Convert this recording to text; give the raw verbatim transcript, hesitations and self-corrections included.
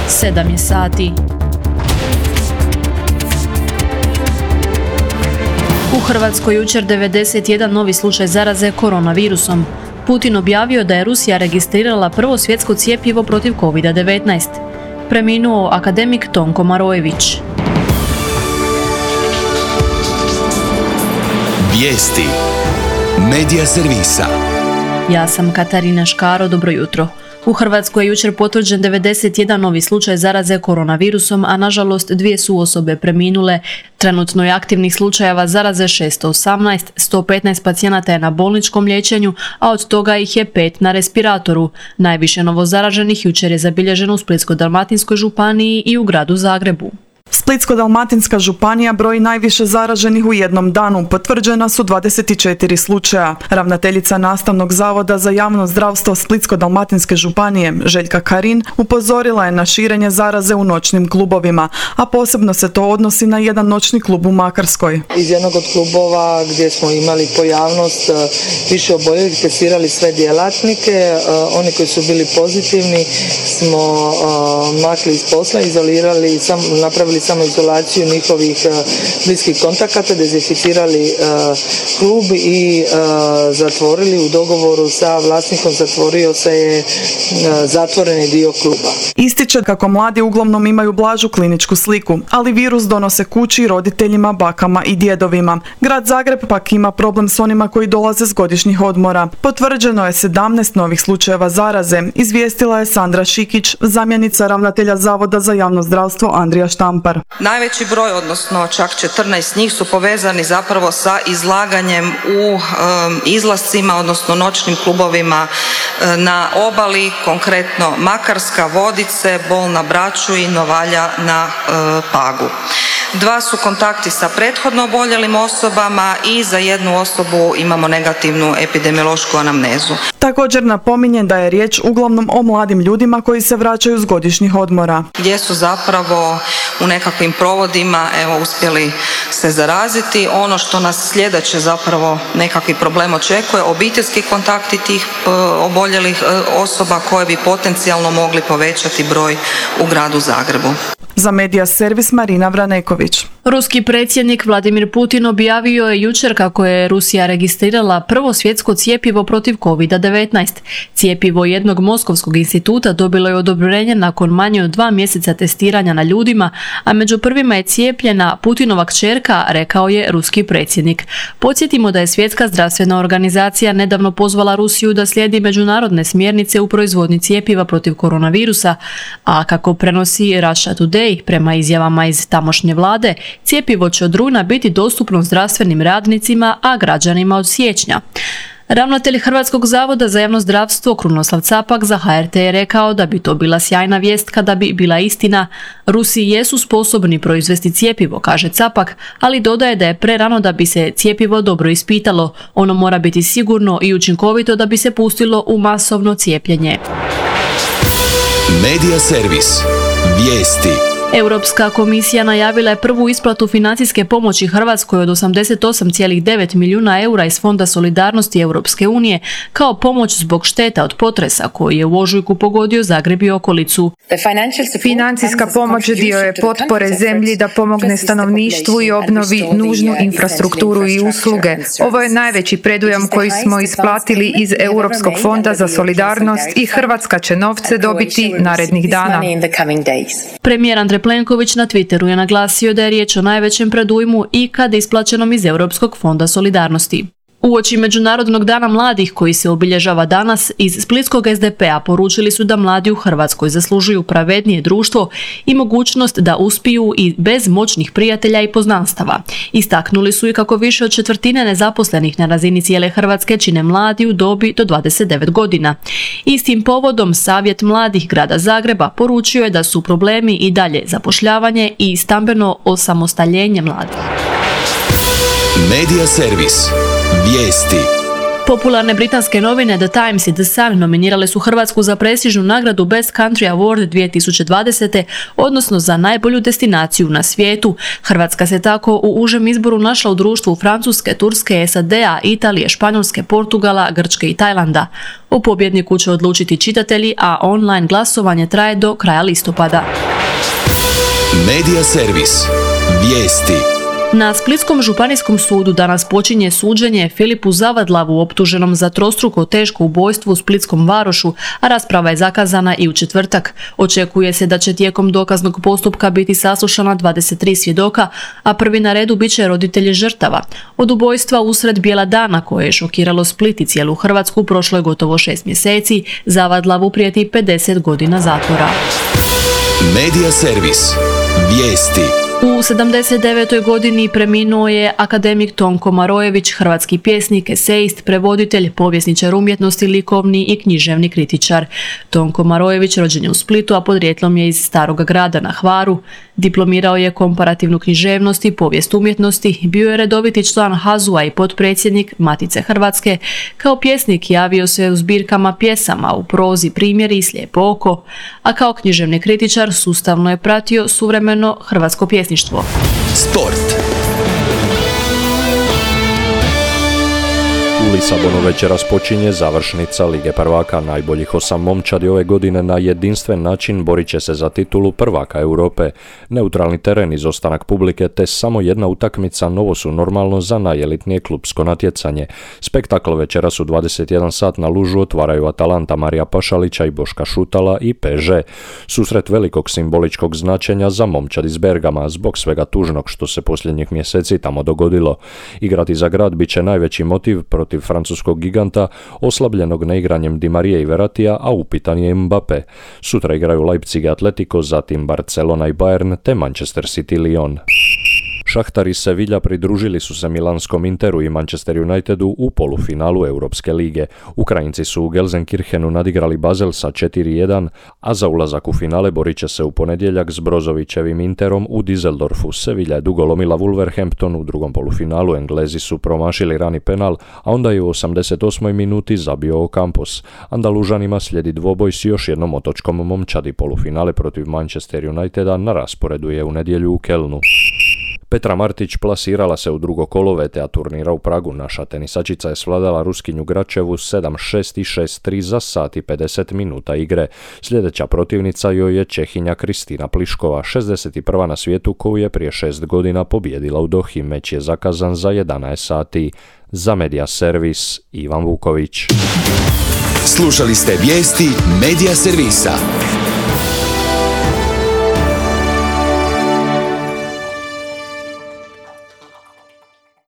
sedam je sati. U Hrvatskoj jučer devedeset jedan novi slučaj zaraze koronavirusom. Putin objavio da je Rusija registrirala prvo svjetsko cjepivo protiv kovid devetnaest. Preminuo akademik Tonko Marojević. Vijesti Medija servisa. Ja sam Katarina Škaro, dobro jutro. U Hrvatskoj je jučer potvrđen devedeset jedan novi slučaj zaraze koronavirusom, a nažalost dvije su osobe preminule. Trenutno je aktivnih slučajeva zaraze šesto osamnaest, sto petnaest pacijenata je na bolničkom liječenju, a od toga ih je pet na respiratoru. Najviše novozaraženih jučer je zabilježeno u Splitsko-dalmatinskoj županiji i u gradu Zagrebu. Splitsko-dalmatinska županija broji najviše zaraženih u jednom danu, potvrđena su dvadeset četiri slučaja. Ravnateljica Nastavnog zavoda za javno zdravstvo Splitsko-dalmatinske županije, Željka Karin, upozorila je na širenje zaraze u noćnim klubovima, a posebno se to odnosi na jedan noćni klub u Makarskoj. Iz jednog od klubova gdje smo imali pojavnost više oboljelih, testirali sve djelatnike, oni koji su bili pozitivni smo makli iz posla, izolirali, sam, napravili samo izolaciju njihovih uh, bliskih kontakata, dezinficirali uh, klub i uh, zatvorili u dogovoru sa vlasnikom, zatvorio se je uh, zatvoreni dio kluba. Ističe kako mladi uglavnom imaju blažu kliničku sliku, ali virus donose kući i roditeljima, bakama i djedovima. Grad Zagreb pak ima problem s onima koji dolaze s godišnjih odmora. Potvrđeno je sedamnaest novih slučajeva zaraze, izvijestila je Sandra Šikić, zamjenica ravnatelja Zavoda za javno zdravstvo Andrija Štampar. Najveći broj, odnosno čak četrnaest njih, su povezani zapravo sa izlaganjem u um, izlascima, odnosno noćnim klubovima um, na obali, konkretno Makarska, Vodice, Bol na Braču i Novalja na um, Pagu. Dva su kontakti sa prethodno oboljelim osobama i za jednu osobu imamo negativnu epidemiološku anamnezu. Također napominje da je riječ uglavnom o mladim ljudima koji se vraćaju s godišnjih odmora. Gdje su zapravo u nekakvim provodima evo, uspjeli se zaraziti. Ono što nas sljedeće zapravo nekakvi problem očekuje, obiteljski kontakti tih e, oboljelih e, osoba koje bi potencijalno mogli povećati broj u gradu Zagrebu. Za Medija servis Marina Vraneković. Ruski predsjednik Vladimir Putin objavio je jučer kako je Rusija registrirala prvo svjetsko cjepivo protiv kovid devetnaest. Cjepivo jednog moskovskog instituta dobilo je odobrenje nakon manje od dva mjeseca testiranja na ljudima, a među prvima je cijepljena Putinova kćerka, rekao je ruski predsjednik. Podsjetimo da je Svjetska zdravstvena organizacija nedavno pozvala Rusiju da slijedi međunarodne smjernice u proizvodnji cjepiva protiv koronavirusa, a kako prenosi Russia Today, prema izjavama iz tamošnje vlade, cjepivo će od rujna biti dostupno zdravstvenim radnicima, a građanima od siječnja. Ravnatelj Hrvatskog zavoda za javno zdravstvo Krunoslav Capak za H R T je rekao da bi to bila sjajna vijest kada bi bila istina. Rusi jesu sposobni proizvesti cjepivo, kaže Capak, ali dodaje da je prerano da bi se cjepivo dobro ispitalo. Ono mora biti sigurno i učinkovito da bi se pustilo u masovno cijepljenje. Medija servis. Vijesti. Europska komisija najavila je prvu isplatu financijske pomoći Hrvatskoj od osamdeset osam zarez devet milijuna eura iz Fonda solidarnosti Europske unije kao pomoć zbog šteta od potresa koji je u ožujku pogodio Zagreb i okolicu. Financijska pomoć dio je potpore zemlji da pomogne stanovništvu i obnovi nužnu infrastrukturu i usluge. Ovo je najveći predujam koji smo isplatili iz Europskog fonda za solidarnost i Hrvatska će novce dobiti narednih dana. Premijer Andrej Plenković na Twitteru je naglasio da je riječ o najvećem predujmu ikad isplaćenom iz Europskog fonda solidarnosti. Uoči Međunarodnog dana mladih koji se obilježava danas, iz splitskog S D P-a poručili su da mladi u Hrvatskoj zaslužuju pravednije društvo i mogućnost da uspiju i bez moćnih prijatelja i poznanstava. Istaknuli su i kako više od četvrtine nezaposlenih na razini cijele Hrvatske čine mladi u dobi do dvadeset devet godina. Istim povodom Savjet mladih grada Zagreba poručio je da su problemi i dalje zapošljavanje i stambeno osamostaljenje mladih. Medija servis. Vijesti. Popularne britanske novine The Times i The Sun nominirale su Hrvatsku za prestižnu nagradu Best Country Award dvije tisuće dvadesete, odnosno za najbolju destinaciju na svijetu. Hrvatska se tako u užem izboru našla u društvu Francuske, Turske, S A D-a, Italije, Španjolske, Portugala, Grčke i Tajlanda. O pobjedniku će odlučiti čitatelji, a online glasovanje traje do kraja listopada. Medija servis. Vijesti. Na Splitskom županijskom sudu danas počinje suđenje Filipu Zavadlavu optuženom za trostruko teško ubojstvo u Splitskom Varošu, a rasprava je zakazana i u četvrtak. Očekuje se da će tijekom dokaznog postupka biti saslušana dvadeset tri svjedoka, a prvi na redu bit će roditelji žrtava. Od ubojstva usred bijela dana koje je šokiralo Split i cijelu Hrvatsku prošlo je gotovo šest mjeseci, Zavadlavu prijeti pedeset godina zatvora. Medija servis. Vijesti. U sedamdeset devetoj godini preminuo je akademik Tonko Marojević, hrvatski pjesnik, esejist, prevoditelj, povjesničar umjetnosti, likovni i književni kritičar. Tonko Marojević rođen je u Splitu, a podrijetlom je iz Staroga Grada na Hvaru. Diplomirao je komparativnu književnost i povijest umjetnosti, bio je redoviti član H A Z U-a i potpredsjednik Matice Hrvatske. Kao pjesnik javio se u zbirkama pjesama, u prozi Primjeri i Slijepo oko, a kao književni kritičar sustavno je pratio suvremeno hrvatsko pjesništvo. Sport. U Lisabonu večeras počinje završnica Lige prvaka. Najboljih osam momčadi ove godine na jedinstven način borit će se za titulu prvaka Europe. Neutralni teren, izostanak publike te samo jedna utakmica novo su normalno za najelitnije klupsko natjecanje. Spektakl večeras u dvadeset jedan sat na Lužu otvaraju Atalanta Marija Pašalića i Boška Šutala i P S G. Susret velikog simboličkog značenja za momčad iz Bergama zbog svega tužnog što se posljednjih mjeseci tamo dogodilo. Igrati za grad bit će najveći motiv protiv francuskog giganta, oslabljenog neigranjem Di Marije i Veratija, a upitan je Mbappé. Sutra igraju Leipzig i Atletico, zatim Barcelona i Bayern, te Manchester City Lyon. Šahtar i Sevilla pridružili su se milanskom Interu i Manchester Unitedu u polufinalu Europske lige. Ukrajinci su u Gelsenkirchenu nadigrali Basel sa četiri jedan, a za ulazak u finale borit će se u ponedjeljak s Brozovićevim Interom u Düsseldorfu. Sevilla je dugo lomila Wolverhampton u drugom polufinalu, Englezi su promašili rani penal, a onda je u osamdeset osmoj minuti zabio Ocampos. Andalužanima slijedi dvoboj s još jednom otočkom momčadi. Polufinale protiv Manchester Uniteda na rasporedu je u nedjelju u Kelnu. Petra Martić plasirala se u drugo kolo V T A turnira u Pragu. Naša tenisačica je svladala Ruskinju Gračevu sedam šest i šest tri za sat i pedeset minuta igre. Sljedeća protivnica joj je Čehinja Kristina Pliškova, šezdeset prva na svijetu, koju je prije šest godina pobijedila u Dohi. Meč je zakazan za jedanaest sati. Za Medija servis Ivan Vuković. Slušali ste vijesti Medija servisa.